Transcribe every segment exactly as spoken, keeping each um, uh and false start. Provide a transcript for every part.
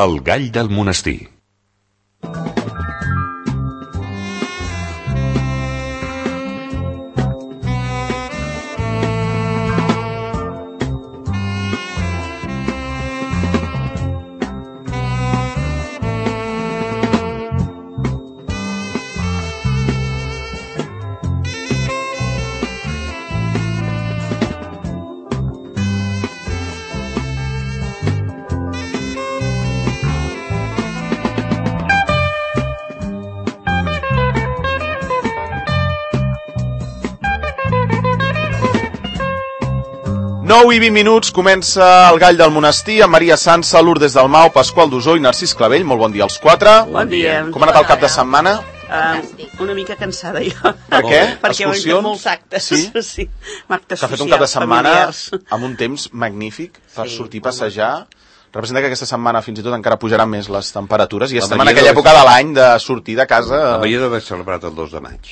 El gall del monestir. nou i vint minuts, comença el gall del monestir amb Maria Sansa, Lourdes Dalmau, Pasqual Dusó i Narcís Clavell. Molt bon dia als quatre. Bon dia. Com ha anat el cap de setmana? Uh, una mica cansada jo. Per què? Perquè ho he fet molts actes. Sí? Sí. Actes que ha fet un cap de setmana familiars. amb un temps magnífic per Sí, sortir a passejar. Representa que aquesta setmana fins i tot encara pujaran més les temperatures i La estem en Maria aquella deu- època de l'any de sortir de casa. La Maria deu haver celebrat el dos de maig.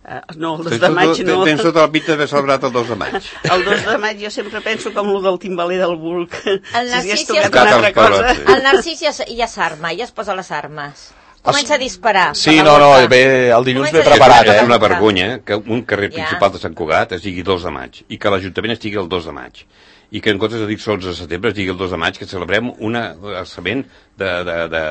Uh, no, el dos de maig no. Tens tota la pinta d'haver celebrat el dos de maig. El dos de maig jo sempre penso com el del timbaler del Bulc. El Si hagués Narcís tocat ja- una altra cosa. El Narcís ja, s- ja s'arma, ja es posa les armes. Comença a disparar. Sí, per la no, no, boca. bé, el dilluns Comença ve a preparat, disparar eh? És una per la boca. vergonya que un carrer Ja. principal de Sant Cugat es digui dos de maig i que l'Ajuntament estigui el dos de maig i que en comptes de dir onze de setembre es digui el dos de maig, que celebrem un alçament de, de, de,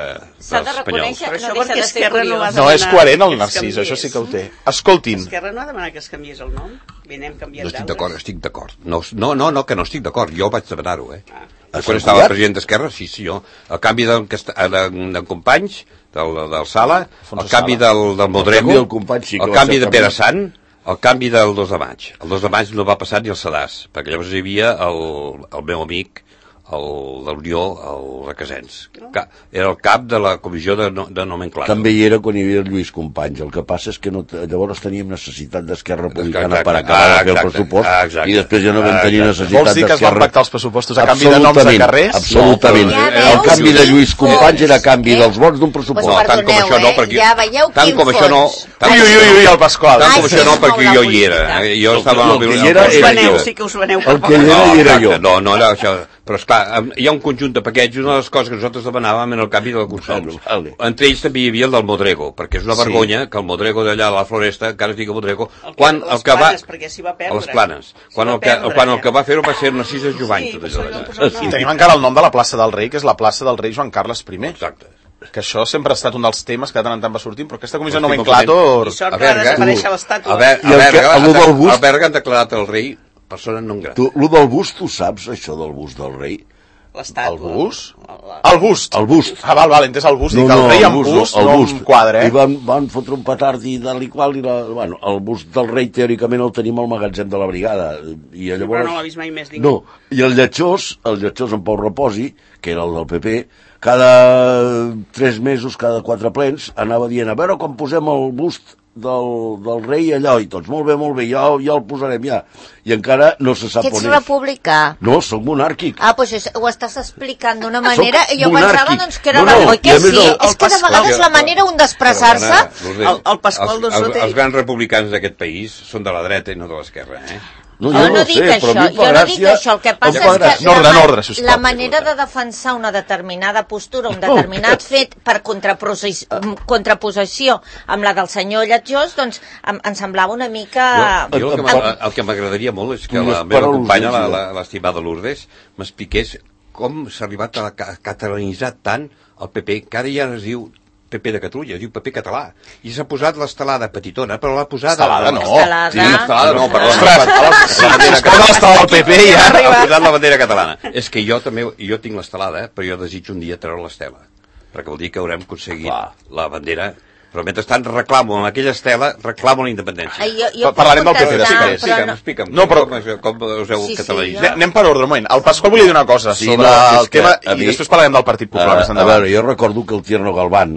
S'ha de dels reconèixer, Però no això deixa perquè de ser Esquerra no va curiós. No, és demanar coherent el que es Narcís, canviés. això sí que ho té. Escoltin, Esquerra no ha demanat que es canviés el nom. I anem canviant No estic d'altres. d'acord, estic d'acord. No, no, no, no, que no estic d'acord. Jo vaig demanar-ho, eh? Ah. Ah. Quan estava president d'Esquerra, sí, sí, jo. El canvi de, de, de companys, del, del Sala, Alfonso el canvi Sala. del, del Modrego, canvi del company sí que el va canvi ser de Pere Sant, el canvi del dos de maig. El dos de maig no va passar ni el sedàs, perquè llavors hi havia el, el meu amic, el de l'Unió, el Requesens. Ca- Era el cap de la comissió de, no, de nomenclatura. També hi era quan hi havia el Lluís Companys. El que passa és que no, t- llavors teníem necessitat d'Esquerra Republicana Exacte. per acabar de Ah, fer el exacte. pressupost Ah, exacte. i després ja no vam Ah, tenir exacte. necessitat vols dir que es van d'Esquerra. pactar els pressupostos a canvi de noms de Absolutament, carrers? absolutament. Ja El veus canvi de quin Lluís Companys era a fons, canvi eh? dels vots d'un pressupost. Pues No, tant com perdoneu, això no, eh? perquè... Ja veieu tant quin com això no... fons. Tant, Ui, ui, ui, ui, el Pasqual. tant Ai, com sí, això no, és perquè molt jo la hi era. política. Eh? Jo estava... No, al- que hi al- era- Us era veneu, jo. sí que us veneu. El que hi era No, hi era exacte, jo. no, no era això. Però esclar, hi ha un conjunt de paquets i una de les coses que nosaltres demanàvem era el canvi de consums. Vale, vale. Entre ells també hi havia el del Modrego, perquè és una Sí. vergonya que el Modrego d'allà a la Floresta encara es digui Modrego. El que- Quan les el que va... Planes, perquè s'hi va perdre. A les Planes. S'hi Quan va el que, perdre, quan el ja. que va fer-ho va ser Narcís de Jovany, Sí, tot per allò això li d'allà. van posar el I nom. tenim encara el nom de la plaça del Rei, que és la plaça del Rei Joan Carles I. Exacte. Que això sempre ha estat un dels temes que de tant en tant va sortint, però aquesta comissió Estic nomenclàtor... I sort A que va Berga, desaparèixer tu- l'estàtua. A Berga, I el a que- Berga, el han- del bust- a Berga han declarat el rei persona non grata. Tu, lo del bust, tu saps, això del bust del rei? L'estàtua. El bust? La- El bust. El bust. Ah, val, val, entès el bust. Dic, el rei amb bust, el no bust. amb quadre, I eh? van, van fotre un petard i tal i qual, i la, bueno, el bust del rei teòricament el tenim al magatzem de la brigada. I llavors... Però no l'ha vist mai més ningú. No, i el lletjós, el lletjós en Pau Reposi, que era el del P P, cada tres mesos, cada quatre plens, anava dient, a veure quan posem el bust del, del rei allò, i tots, molt bé, molt bé, ja, ja el posarem ja. I encara no se sap Que ets on és. republicà. No, soc monàrquic. Ah, doncs és, ho estàs explicant d'una manera i jo monàrquic. pensava doncs, que era... No, No, no, no, i que a més sí? el- És el que de Pasqual- vegades la manera un d'expressar-se... El- el Pasqual els, Dosó els, té- els grans republicans d'aquest país són de la dreta i no de l'esquerra, eh? No, Jo no dic sé, això, però a mi em fa jo no dic gràcia- això, el que em passa fa és gràcia. que En ordre, la, en ma- ordre, sisplau. la manera de defensar una determinada postura, un determinat fet per contraposi- contraposició amb la del senyor Lletjós, doncs em, em semblava una mica... Jo, jo el que em- m'agrada- el que m'agradaria molt és que Tu la les meva paraules, companya, la- sí. la- l'estimada Lourdes, m'expliqués com s'ha arribat a ca- catalanitzar tant el P P, que ara ja no es diu P P de Catalunya, es diu P P català. I s'ha posat l'estelada petitona, però l'ha posada... Estelada, no. Estelada. Sí, l'estelada no, perdó. Ostres, la bandera és que no estava al P P ja. Ha posat la bandera catalana. És que jo també, jo tinc l'estelada, però jo desitjo un dia treure l'estela, perquè vol dir que haurem aconseguit Clar. la bandera. Però mentrestant reclamo amb aquella estela, reclamo la independència. Ai, jo, jo Pa- parlarem del P P puc després. contestar, Explica'm, però explica'm. No, però- Com, us- com us heu Sí, sí, catalanitzat? Anem- Anem per ordre, un moment. El Pasqual volia dir una cosa Sí, sobre no, és el que tema a i mi- després parlarem del Partit Popular. més Uh, a endavant. veure, jo recordo que el Tierno Galván,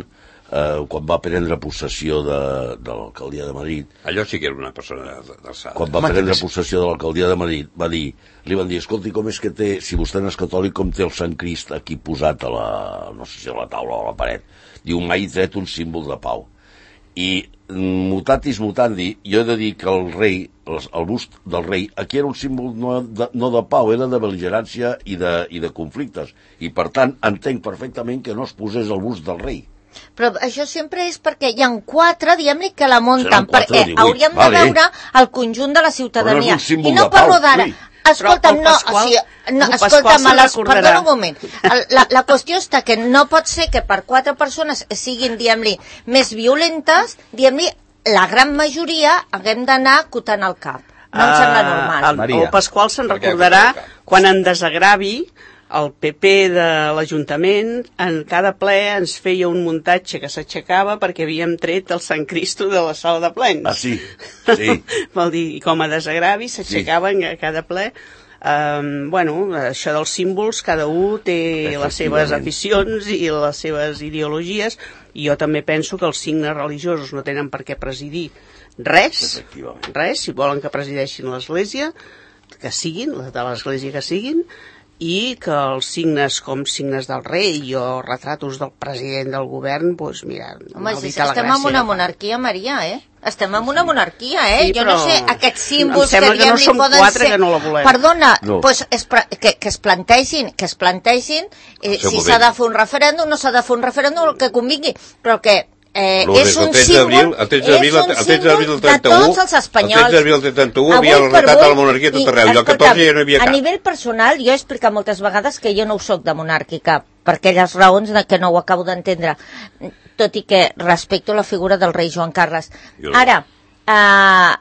uh, quan va prendre possessió de, de l'alcaldia de Madrid, Allò sí que era una persona d'alçada. quan va Home, prendre que sí. possessió de l'alcaldia de Madrid, va dir, li van dir, escolti, com és que té, si vostè no és catòlic, com té el Sant Crist aquí posat a la, no sé si a la taula o a la paret? Diu, mai he tret un símbol de pau. I mutatis mutandi, jo he de dir que el rei, el, el bust del rei, aquí era un símbol no de, no de pau, era de bel·ligerància i de, i de conflictes. I, per tant, entenc perfectament que no es posés el bust del rei. Però això sempre és perquè hi ha quatre, diguem-ne, que la munten, quatre, perquè divuit, hauríem de vale. veure el conjunt de la ciutadania. Però no és un símbol I no de pau, parlo d'ara. sí. Escolta'm, Però no, el Pasqual- o sigui, no, el escolta'm, Pasqual se'n a les, recordarà. perdona un moment. El, la, la qüestió està que no pot ser que per quatre persones siguin, diguem-li, més violentes, diguem-li, la gran majoria haguem d'anar acotant el cap. No em sembla normal. El, Maria. el Pasqual se'n Per què recordarà acotar el cap? quan en desagravi el P P de l'Ajuntament en cada ple ens feia un muntatge que s'aixecava perquè havíem tret el Sant Cristo de la sala de plens. Ah, sí, sí. Vol dir, i com a desagravi s'aixecaven a cada ple. Um, bueno, això dels símbols, cada un té les seves Efectivament. aficions i les seves ideologies, i jo també penso que els signes religiosos no tenen per què presidir res, Efectivament. res, si volen que presideixin l'Església, que siguin, de l'Església que siguin, i que els signes com signes del rei o retratos del president del govern, doncs mira, Home, si maldita la estem gràcia en una que fa. monarquia, Maria, eh? Estem en una monarquia, eh? Sí, jo no però sé, aquests símbols em sembla que, que no diguem-li som poden quatre ser... que no la volem. Perdona, No. pues es, pra- que, que es plantegin, que es plantegin eh, El seu si moment. s'ha de fer un referèndum, no s'ha de fer un referèndum, el que convingui, però que eh, Lo és des un del tretze símbol, d'abril- el tretze d'abril- és un el tretze d'abril del símbol de trenta-u, tots els espanyols. el tretze d'abril del trenta-u Avui havia el per retrat de la avui, monarquia a tot i, arreu, i el escolta'm, catorze ja no hi havia a cap. nivell personal, jo he explicat moltes vegades que jo no ho soc de monàrquica, per aquelles raons de que no ho acabo d'entendre, tot i que respecto la figura del rei Joan Carles. Jo no. Ara, eh,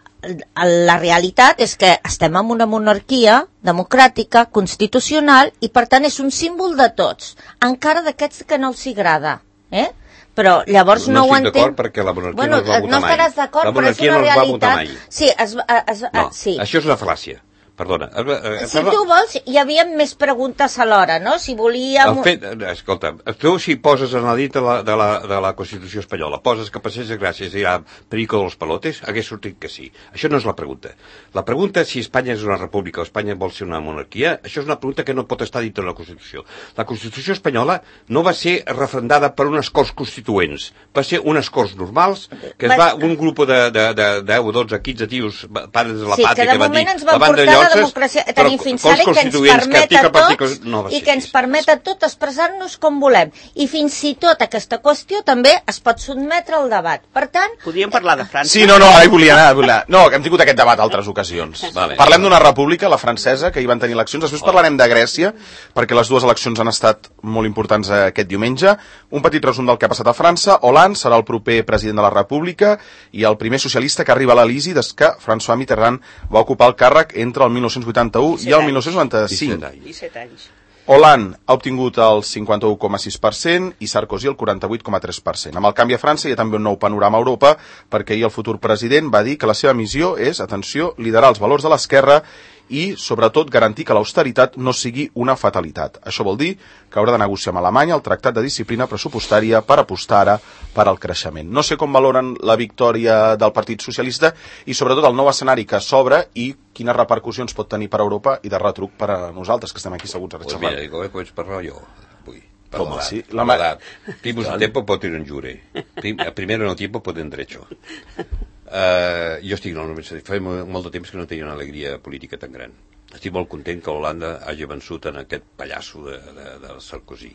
la realitat és que estem en una monarquia democràtica, constitucional, i per tant és un símbol de tots, encara d'aquests que no els agrada, eh? Però llavors no, No ho estic entenc. d'acord perquè la monarquia bueno, no es va votar no mai. estaràs d'acord, La però és monarquia una no es va realitat. votar mai. Sí, es, va- es, No, sí. això és una fal·làcia. Perdona. Eh, Si tu vols, hi havia més preguntes alhora, no? Si volíem... El fet, eh, escolta, tu si poses en la dit de la, de la, de la Constitució espanyola, poses que passés de gràcies i hi ha perico dels palotes, hagués sortit que sí. Això no és la pregunta. La pregunta si Espanya és una república o Espanya vol ser una monarquia, això és una pregunta que no pot estar dintre de la Constitució. La Constitució espanyola no va ser referendada per unes Corts Constituents, va ser unes Corts normals, que es Va- va, un grup de, de, de deu, dotze, quinze tios, pares de la Sí, pàtria, que de van moment dir, ens van la van de portar la lloses, democràcia, però tenim fins Corts ara i que ens Constituents, que permet a article per tots article, no va i ser que ens així. permet a tots expressar-nos com volem. I fins i tot aquesta qüestió també es pot sotmetre al debat. Per tant, Podríem parlar de França. Sí, no, no, ara hi volia anar. Volia anar. No, que hem tingut aquest debat altres ocasions. Vale. Parlem d'una república, la francesa, que hi van tenir eleccions. Després parlarem de Grècia, perquè les dues eleccions han estat molt importants aquest diumenge. Un petit resum del que ha passat a França. Hollande serà el proper president de la república i el primer socialista que arriba a l'Elisi des que François Mitterrand va ocupar el càrrec entre el mil nou-cents vuitanta-u i el mil nou-cents noranta-cinc. disset anys. disset anys. Hollande ha obtingut el cinquanta-u coma sis per cent i Sarkozy el quaranta-vuit coma tres per cent. Amb el canvi a França hi ha també un nou panorama a Europa, perquè ahir el futur president va dir que la seva missió és, atenció, liderar els valors de l'esquerra i, sobretot, garantir que l'austeritat no sigui una fatalitat. Això vol dir que haurà de negociar amb Alemanya el tractat de disciplina pressupostària per apostar ara per al creixement. No sé com valoren la victòria del Partit Socialista i, sobretot, el nou escenari que s'obre i quines repercussions pot tenir per a Europa i de retruc per a nosaltres, que estem aquí seguts a Pues xerrar. mira, digo, eh, puedes parlar yo. Uy, per ¿Cómo l'edat, así? per La ma- l'edat. Primus de tiempo pot ir en jure. Prim, primero en el tiempo pot en derecho. Uh, jo estic en la universitat. Fa mo- molt de temps que no tenia una alegria política tan gran. Estic molt content que Holanda hagi vençut en aquest pallasso de, de, de Sarkozy.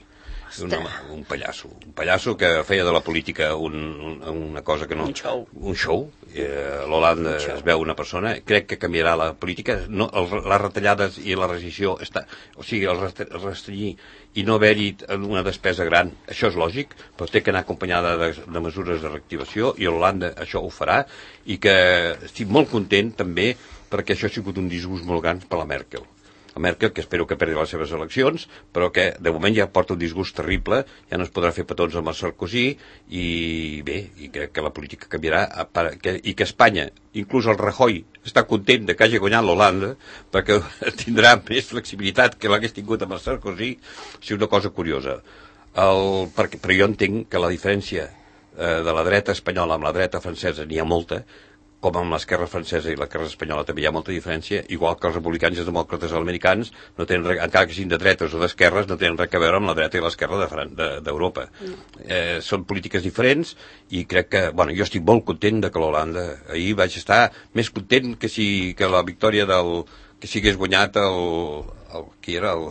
Un, home, un pallasso. Un pallasso que feia de la política un, un, una cosa que no... Un show. Un show. Eh, L'Holanda es veu una persona. Crec que canviarà la política. No, el, les retallades i la rescisió... Està, o sigui, el rest- el restringir i no haver-hi una despesa gran, això és lògic, però té que anar acompanyada de, de mesures de reactivació i Holanda això ho farà i que estic molt content també perquè això ha sigut un disgust molt gran per la Merkel. La Merkel, que espero que perdi les seves eleccions, però que de moment ja porta un disgust terrible, ja no es podrà fer petons amb el Sarkozy, i bé, i crec que la política canviarà, a part que, i que Espanya, inclús el Rajoy, està content de que hagi guanyat l'Holanda, perquè tindrà més flexibilitat que l'hagués tingut amb el Sarkozy, o sigui, una cosa curiosa. El, perquè, però jo entenc que la diferència eh, de la dreta espanyola amb la dreta francesa n'hi ha molta, com amb l'esquerra francesa i l'esquerra espanyola també hi ha molta diferència, igual que els republicans i els demòcrates americans, no tenen, encara que siguin de dretes o d'esquerres, no tenen res a veure amb la dreta i l'esquerra d'Europa. De, de, eh, són polítiques diferents i crec que, bueno, jo estic molt content de que l'Holanda, ahir vaig estar més content que si que la victòria del que si hagués guanyat el, el qui era el...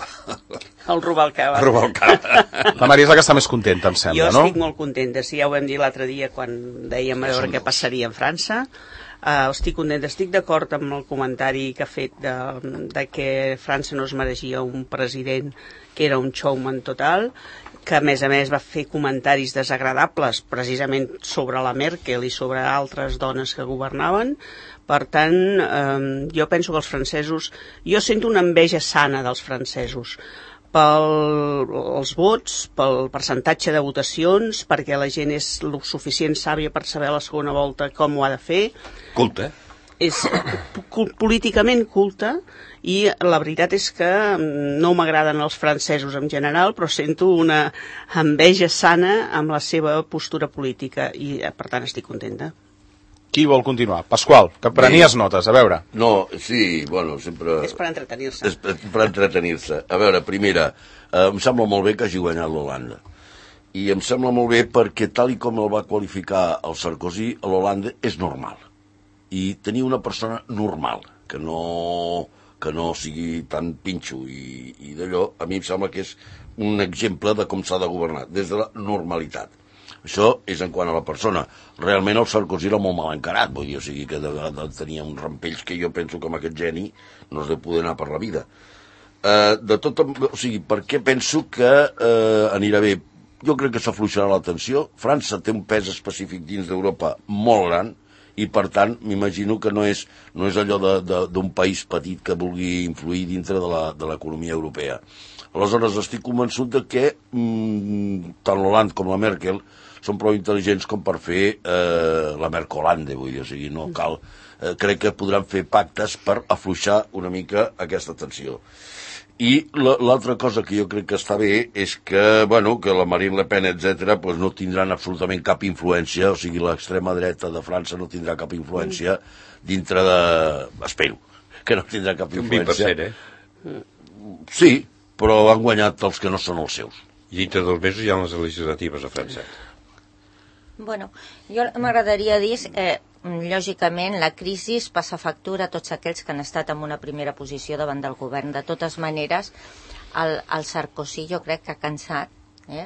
El Rubalcaba. El Rubalcaba. La Maria és la que està més contenta, em sembla, jo no? Jo estic molt contenta, sí, ja ho vam dir l'altre dia quan dèiem a veure què passaria en França. Uh, estic contenta, estic d'acord amb el comentari que ha fet de, de que França no es mereixia un president que era un showman total, que a més a més va fer comentaris desagradables precisament sobre la Merkel i sobre altres dones que governaven. Per tant, eh, jo penso que els francesos... Jo sento una enveja sana dels francesos pels vots, pel percentatge de votacions, perquè la gent és lo suficient sàvia per saber a la segona volta com ho ha de fer. Culta. És políticament culta, i la veritat és que no m'agraden els francesos en general, però sento una enveja sana amb la seva postura política i, per tant, estic contenta. Qui vol continuar? Pasqual, que prenies Bé. notes, a veure. No, sí, bueno, sempre... És per entretenir-se. És per entretenir-se. A veure, primera, eh, em sembla molt bé que hagi guanyat l'Holanda. I em sembla molt bé perquè, tal i com el va qualificar el Sarkozy, l'Holanda és normal. I tenir una persona normal, que no, que no sigui tan pinxo i, i d'allò, a mi em sembla que és un exemple de com s'ha de governar, des de la normalitat. Això és en quant a la persona. Realment el Sarkozy era molt mal encarat, vull dir, o sigui que de vegades tenia uns rampells que jo penso que amb aquest geni no es deu poder anar per la vida. Eh, de tot, o sigui, per què penso que eh, anirà bé? Jo crec que s'afluixarà la tensió. França té un pes específic dins d'Europa molt gran i, per tant, m'imagino que no és, no és allò d'un país petit que vulgui influir dintre de l'economia europea. Aleshores, estic convençut de que mmm, tant l'Hollande com la Merkel són prou intel·ligents com per fer eh, la Mercolande, vull dir, o sigui, no cal... Eh, crec que podran fer pactes per afluixar una mica aquesta tensió. I l'altra cosa que jo crec que està bé és que, bueno, que la Marine Le Pen, etcètera, pues no tindran absolutament cap influència, o sigui, l'extrema dreta de França no tindrà cap influència dintre de... Espero que no tindrà cap influència. Un vint per cent, eh? Sí, però han guanyat els que no són els seus. I dintre dos mesos hi ha les legislatives a França. Bueno, jo m'agradaria dir que, eh, lògicament, la crisi passa factura a tots aquells que han estat en una primera posició davant del govern. De totes maneres, el, el Sarkozy jo crec que ha cansat, eh?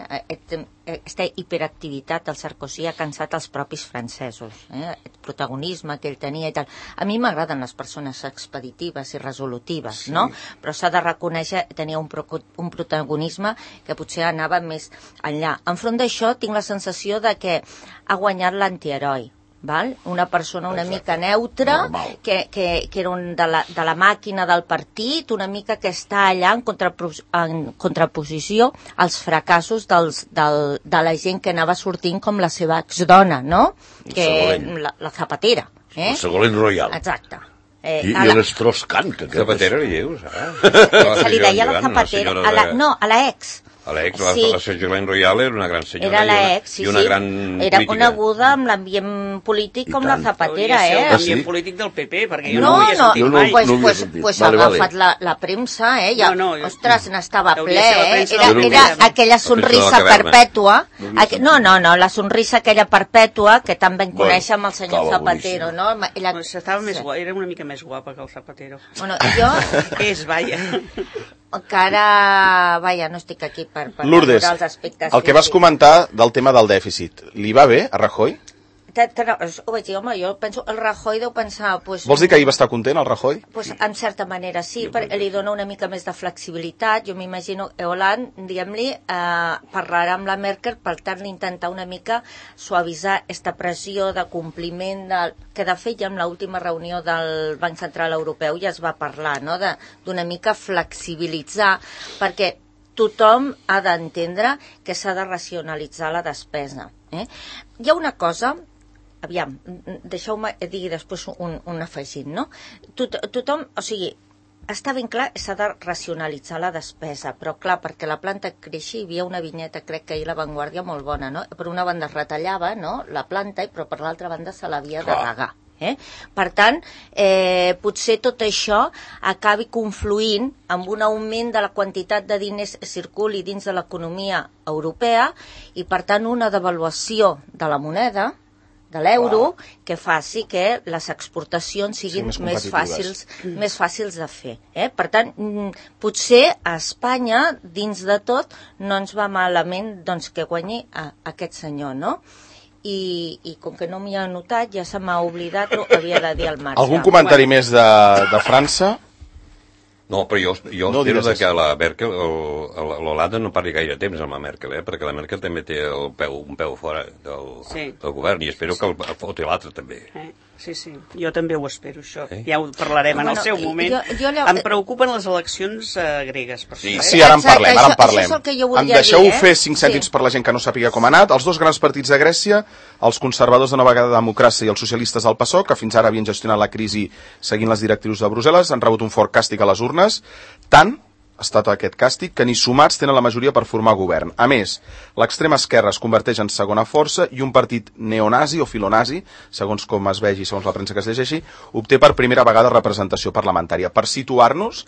Aquesta hiperactivitat del Sarkozy ha cansat els propis francesos, eh? El protagonisme que ell tenia i tal. A mi m'agraden les persones expeditives i resolutives, sí, no? Però s'ha de reconèixer que tenia un, pro, un protagonisme que potser anava més enllà. Enfront d'això tinc la sensació de que ha guanyat l'antiheroi. Val? Una persona una Exacte. mica neutra, que, que, que era un de, la, de la màquina del partit, una mica que està allà en, contrapos, en contraposició als fracassos dels, del, de la gent que anava sortint com la seva exdona, no? Que la, la Zapatera. Eh? El Ségolène Royal. Exacte. Eh, I i l'Strauss-Kahn. Zapatera li dius, eh? Se li deia la Zapatera. A la, no, a la ex. A l'ex, sí. La Ségolène Royal era una gran senyora. Era la ex, sí, i una sí. gran Era política. coneguda amb l'ambient polític com la Zapatera, eh? L'ambient sí? polític del P P, perquè jo no, no ho havia no, sentit no, mai. Pues, no pues, pues vale, ha agafat vale. la, la premsa, eh? Ja, no, no, ostres, n'estava ple, eh? Era, era aquella sonrisa perpètua. Aqu... No, no, no, la sonrisa aquella perpètua que tan ben conèixer amb el senyor Zapatero, no? Ella... Pues estava més guapa, era una mica més guapa que el Zapatero. Bueno, jo... És, vaja... Encara, vaja, no estic aquí per, per Lourdes, els aspectes... el que vas comentar del tema del dèficit, li va bé a Rajoy? Ho vaig dir, home, jo penso, el Rajoy deu pensar... Pues, Vols dir que ahir va estar content, el Rajoy? Pues, en certa manera sí, perquè li dona una mica més de flexibilitat. Jo m'imagino que Hollande, diguem-li, eh, parlarà amb la Merkel per tal d'intentar una mica suavitzar aquesta pressió de compliment, de, que de fet ja en l'última reunió del Banc Central Europeu ja es va parlar, no?, d'una mica flexibilitzar, perquè tothom ha d'entendre que s'ha de racionalitzar la despesa. Eh? Hi ha una cosa... Aviam, deixeu-me dir després un, un afegit, no? Tot, tothom, o sigui, està ben clar que s'ha de racionalitzar la despesa, però clar, perquè la planta creixi, hi havia una vinyeta, crec que ahir la Vanguardia, molt bona, no? Per una banda es retallava, no?, la planta, però per l'altra banda se l'havia de regar. Eh? Per tant, eh, potser tot això acabi confluint amb un augment de la quantitat de diners que circuli dins de l'economia europea i, per tant, una devaluació de la moneda, de l'euro, que faci que les exportacions siguin sí, més, més, fàcils, mm. més fàcils de fer. Eh? Per tant, potser a Espanya, dins de tot, no ens va malament doncs, que guanyi a, a aquest senyor, no? I, i com que no m'hi ha notat, ja se m'ha oblidat el que havia de dir al Marc. Algun comentari bueno. més de, de França? No, però jo, jo no espero de que la Merkel, l'Holanda no parli gaire temps amb la Merkel, eh? Perquè la Merkel també té el peu, un peu fora del, sí. del govern i espero sí. que el, el foti l'altre també. Eh? Sí, sí, jo també ho espero, això. Eh? Ja ho parlarem bueno, en el seu moment. Jo, jo allò... Em preocupen les eleccions uh, gregues. Per sí, això, eh? sí, ara en parlem, ara en parlem. Això, això és em deixeu dir, eh? fer cinc cèntims sí. per la gent que no sàpiga com ha anat. Els dos grans partits de Grècia, els conservadors de Nova Democràcia i els socialistes del PASOK, que fins ara havien gestionat la crisi seguint les directrius de Brussel·les, han rebut un fort càstig a les urnes. Tant ha estat aquest càstig que ni sumats tenen la majoria per formar govern. A més, l'extrema esquerra es converteix en segona força i un partit neonazi o filonazi, segons com es vegi, segons la premsa que es llegeixi, obté per primera vegada representació parlamentària. Per situar-nos,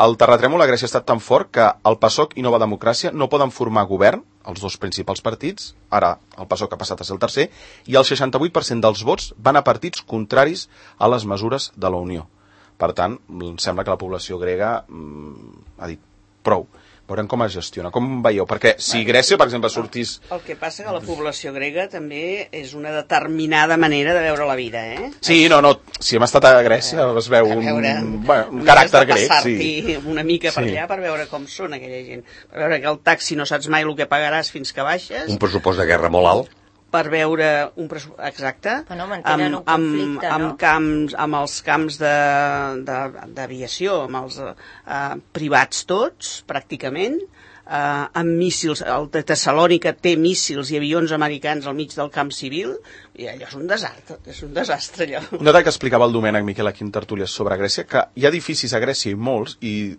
el terratrèmol a Grècia ha estat tan fort que el PASOK i Nova Democràcia no poden formar govern, els dos principals partits, ara el PASOK ha passat a ser el tercer, i el seixanta-vuit per cent dels vots van a partits contraris a les mesures de la Unió. Per tant, em sembla que la població grega mmm, ha dit prou. Veurem com es gestiona. Com veieu? Perquè si Grècia, per exemple, sortís... El que passa que la població grega també és una determinada manera de veure la vida, eh? Sí, no, no. Si hem estat a Grècia es veu un, veure, bueno, un caràcter grec. Sí. Una mica per sí. allà per veure com són aquella gent. Per veure que el taxi no saps mai el que pagaràs fins que baixes. Un pressupost de guerra molt alt. Per veure un pressupost exacte no amb, un conflicte, amb, amb, no? camps, amb els camps d'aviació, amb els uh, privats tots, pràcticament, uh, amb míssils. El de Tessalònica té míssils i avions americans al mig del camp civil, i allò és un desastre, és un desastre allò. No que explicava el Domènec Miquel aquí en tertúlies sobre Grècia, que hi ha edificis a Grècia i molts, i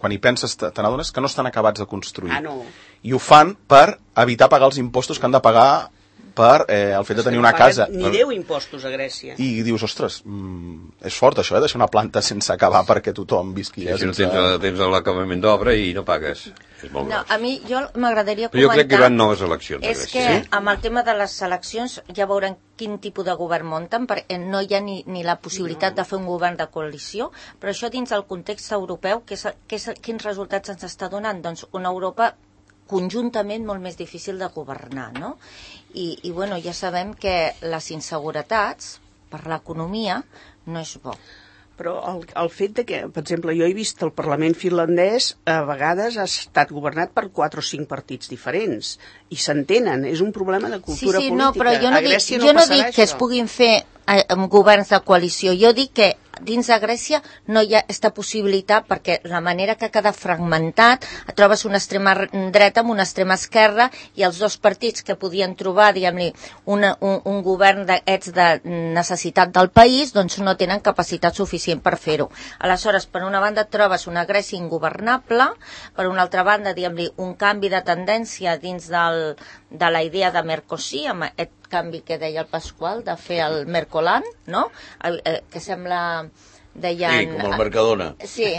quan hi penses te n'adones que no estan acabats de construir. Ah, no. I ho fan per evitar pagar els impostos que han de pagar per eh, el fet de tenir una casa. Ni deu impostos a Grècia. I dius, ostres, mm, és fort això, eh, deixar una planta sense acabar perquè tothom visqui. Sí, si no tens, tens l'acabament d'obra i no pagues. És molt no, gros. A mi, jo m'agradaria comentar... Però jo crec que hi van noves eleccions a És Grècia. que Sí? amb el tema de les eleccions ja veurem quin tipus de govern munten, perquè no hi ha ni, ni la possibilitat no. de fer un govern de coalició, però això dins del context europeu, que és, que és, quins resultats ens està donant? Doncs una Europa conjuntament molt més difícil de governar, no? I, i bueno, ja sabem que les inseguretats per l'economia no és bo. Però el, el fet de que, per exemple, jo he vist el Parlament finlandès a vegades ha estat governat per quatre o cinc partits diferents i s'entenen, és un problema de cultura sí, sí, política. No, però jo no, dic, no, jo no dic això. que es puguin fer eh, amb governs de coalició, jo dic que dins de Grècia no hi ha aquesta possibilitat perquè la manera que ha quedat fragmentat trobes una extrema dreta amb una extrema esquerra i els dos partits que podien trobar diguem-li un, un govern d'aquests de necessitat del país doncs no tenen capacitat suficient per fer-ho. Aleshores, per una banda trobes una Grècia ingovernable, per una altra banda diguem-li un canvi de tendència dins del, de la idea de Mercosur, amb aquest canvi que deia el Pasqual de fer el Mercolan, no? Eh, que sembla deien... Sí, com el Mercadona. Sí,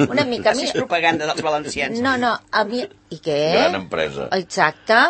una mica. Així és propaganda dels valencians. No, no, a mi... I què? Gran empresa. Exacte.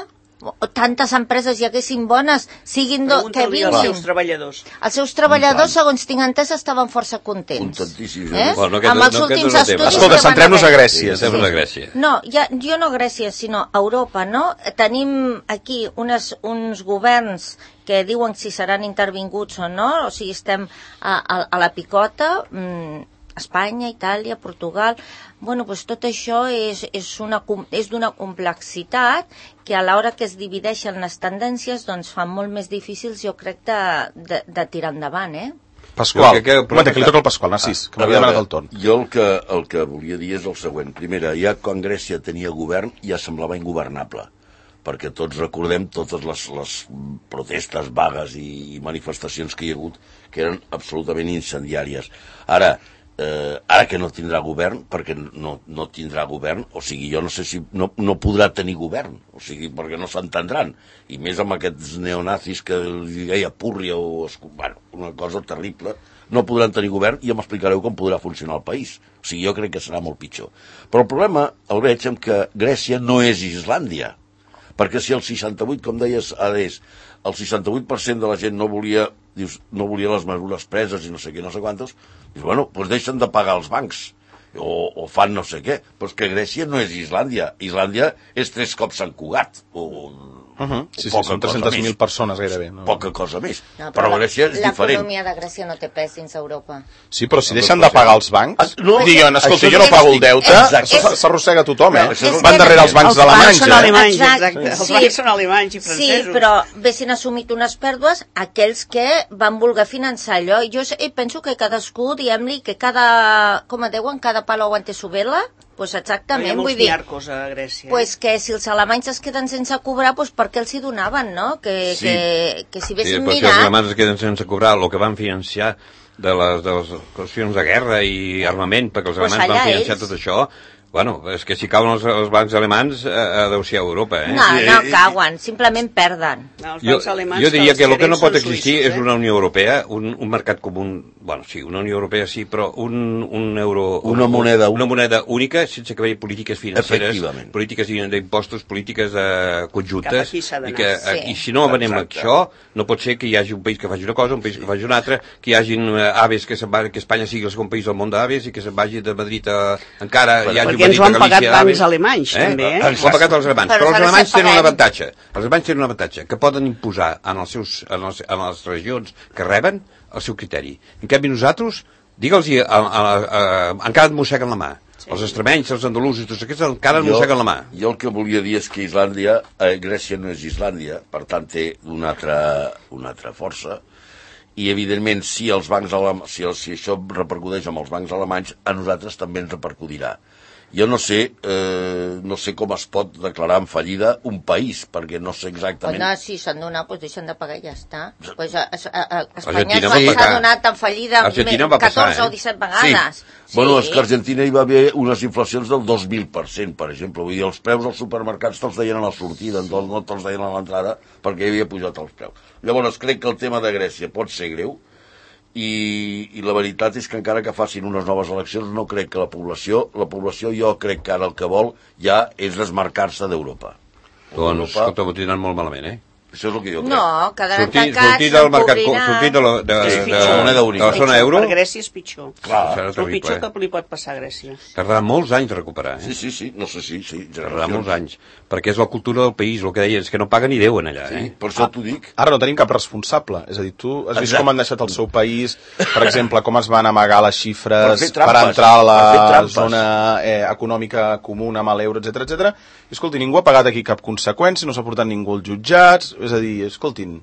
Tantes empreses hi haguessin bones, siguin do... que vinguin. Els seus treballadors. Els seus treballadors, segons tinc entès, estaven força contents. Contentíssims. Eh? Bueno, no, amb els no, últims no estudis... Escolta, centrem-nos a Grècia. Sí, sí. a Grècia. No, ja, jo no a Grècia, sinó a Europa, no? Tenim aquí unes, uns governs que diuen si seran intervinguts o no, o sigui, estem a, a, a la picota... Mmm, Espanya, Itàlia, Portugal... Bueno, doncs tot això és, és, una, és d'una complexitat que a l'hora que es divideixen les tendències doncs fan molt més difícils, jo crec, de, de, de tirar endavant, eh? Pasqual, que, que, un moment, que li toca el Pasqual, Narcís, que m'havia demanat el torn. Jo el que, el que volia dir és el següent. Primera, ja quan Grècia tenia govern ja semblava ingovernable, perquè tots recordem totes les, les protestes, vagues i, i manifestacions que hi ha hagut que eren absolutament incendiàries. Ara, Eh, ara que no tindrà govern, perquè no, no tindrà govern, o sigui, jo no sé si no, no podrà tenir govern, o sigui, perquè no s'entendran, i més amb aquests neonazis que li deia Purria o... Bueno, una cosa terrible. No podran tenir govern i m'explicareu com podrà funcionar el país. O sigui, jo crec que serà molt pitjor. Però el problema el veig en que Grècia no és Islàndia. Perquè si el seixanta-vuit, com deies, ara és, el seixanta-vuit per cent de la gent no volia, dius, no volia les mesures preses i no sé què, no sé quantes, dius, bueno, doncs deixen de pagar els bancs. O, o fan no sé què. Però és que Grècia no és Islàndia. Islàndia és tres cops Sant Cugat. O... Uh -huh. Sí, sí, són tres-centes mil persones gairebé. No? Poca cosa més. No, però, però Grècia és diferent. L'economia de Grècia no té pes dins Europa. Sí, però si deixen de pagar els bancs, no, diguen, escolta, jo no pago el deute, s'arrossega tothom, eh? No, van darrere els bancs alemanys. Els bancs són alemanys, exacte. Els sí. bancs són alemanys i francesos. Sí, però haguessin assumit unes pèrdues aquells que van voler finançar allò. Jo penso que cadascú, diguem-li, que cada, com es diuen, cada palo aguante su vela. Pues exactament, hi ha molts vull dir, miarcos a Grècia. Pues que si els alemanys es queden sense cobrar, pues per què els hi donaven, no? Que, sí. que, que si vessin sí, mirat... Si els alemanys es queden sense cobrar el que van financiar de les, de les qüestions de guerra i armament, perquè els pues alemanys van financiar ells. tot això, bueno, és que si cauen els, els bancs alemans, eh, deu ser a Europa, eh? No, no cauen, simplement perden. No, jo, jo diria que el que no pot existir suïssos, eh? és una Unió Europea, un, un mercat comú, bueno, sí, una Unió Europea sí, però un, un euro... Una moneda, una moneda única, sense que hi hagi polítiques financeres, polítiques d'impostos, polítiques eh, conjuntes, i, que, sí. i si no venem això, no pot ser que hi hagi un país que faci una cosa, un país que faci una altra, que hi hagi uh, aves, que, se'n va, que Espanya sigui el segon país del món d'aves i que se'n vagi de Madrid a, encara hi hagi perquè ens ho han pagat bancs alemanys, eh? també, eh? Ens ho han pagat els alemanys, però, però els alemanys tenen un avantatge. Els alemanys tenen un avantatge, que poden imposar en, els seus, en, els, en les regions que reben el seu criteri. En canvi, nosaltres, digue'ls-hi, encara et mosseguen la mà. Sí. Els extremenys, els andalusos, tots aquests encara et mosseguen la mà. Jo el que volia dir és que Islàndia, eh, Grècia no és Islàndia, per tant té una altra, una altra força, i evidentment si els bancs si, el, si això repercuteix amb els bancs alemanys, a nosaltres també ens repercutirà. Jo no sé, eh, no sé com es pot declarar en fallida un país, perquè no sé exactament... No, si s'han donat, doncs deixen de pagar i ja està. Pues a, a, a, Espanya s'ha donat en fallida catorze o disset vegades. Sí. Sí. Bueno, és que a Argentina hi va haver unes inflacions del dos mil per cent, per exemple. Vull dir, els preus als supermercats te'ls deien a la sortida, no te'ls deien a l'entrada, perquè hi havia pujat els preus. Llavors, crec que el tema de Grècia pot ser greu, I, i la veritat és que encara que facin unes noves eleccions no crec que la població, la població jo crec que ara el que vol ja és desmarcar-se d'Europa. Doncs, escolta, ho tindran molt malament, eh? Això és el que jo crec. No, quedaran sortir, tancats, sortir del mercat, sortir de la, de, de, de, de, de la zona euro... Per Grècia és pitjor. Clar, és el pitjor que li pot passar a Grècia. Tardarà molts anys a recuperar, eh? Sí, sí, sí, no sé si... Sí, tardarà molts anys, perquè és la cultura del país, el que deia, és que no paguen ni deuen allà, eh? Sí, per això t'ho dic. Ara no tenim cap responsable, és a dir, tu has vist com han deixat el seu país, per exemple, com es van amagar les xifres per, per entrar a la zona eh, econòmica comuna amb l'euro, etcètera, etcètera. I escolti, ningú ha pagat aquí cap conseqüència, no s'ha portat ningú als jutjats, és a dir, escoltin...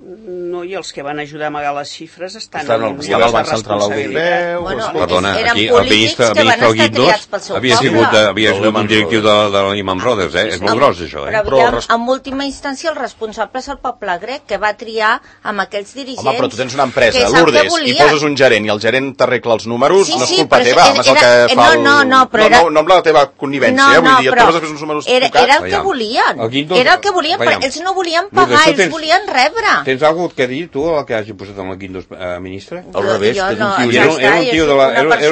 No, i els que van ajudar a amagar les xifres estan... Estan al Banc Central Europeu... Bueno, perdona, eren aquí el ministre que van estar triats pel seu havia sigut, havia sigut un directiu de, de la Lehman Brothers, eh? És molt gros, això, eh? Però, però en última instància, el responsable és el poble grec, que va triar amb aquells dirigents... Home, però tu tens una empresa, Lourdes, i poses un gerent, i el gerent t'arregla els números, sí, no és sí, culpa teva, era, és el que fa el... No, no, no, però era... No, no amb la teva connivència, no, eh? Vull no, dir, et poses després uns números era, era el que volien. El Guindos, era el que volien, però ells no volien pagar, ells tens, volien rebre. Tens alguna cosa que dir, tu, el que hagi posat amb el Guindos eh, ministre? Al revés, és un tio llest. Era un tio de la...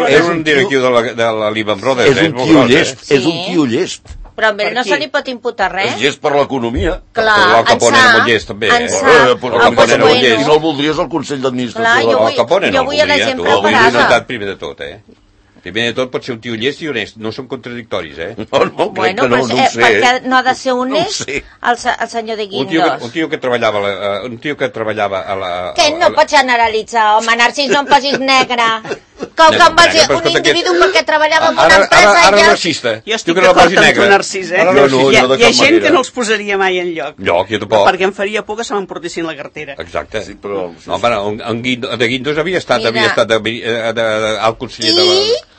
Era un directiu de la, de la Lehman Brothers. És un tio llest, és un tio llest. Però a no se li pot imputar res. És llest per l'economia. Clar, el Capone era molt llest, també. En Sa, el Capone era molt llest. I no el voldries al Consell d'Administració. El Capone no el voldria, tu. El voldria primer de tot, eh? Primer de tot pot ser un tio llest i honest, no són contradictoris, eh? No, no, crec bueno, que no, no ho sé. Perquè no ha de ser honest no el, el senyor de Guindos. Un tio que, un tio que treballava, la, uh, un tio que treballava a la... A, que no a la... pots generalitzar, home, Narcís, no em posis negre. Com que em vas dir un individu perquè treballava en una empresa... Ara, ara, ara racista. Jo estic d'acord amb tu, Narcís, eh? No, no, hi ha, hi ha gent que no els posaria mai en lloc. Lloc, jo tampoc. Perquè em faria por que se m'emportessin la cartera. Exacte. Sí, però... No, bueno, en Guindos, de Guindos havia estat, havia estat de, de, de, de, el conseller de la...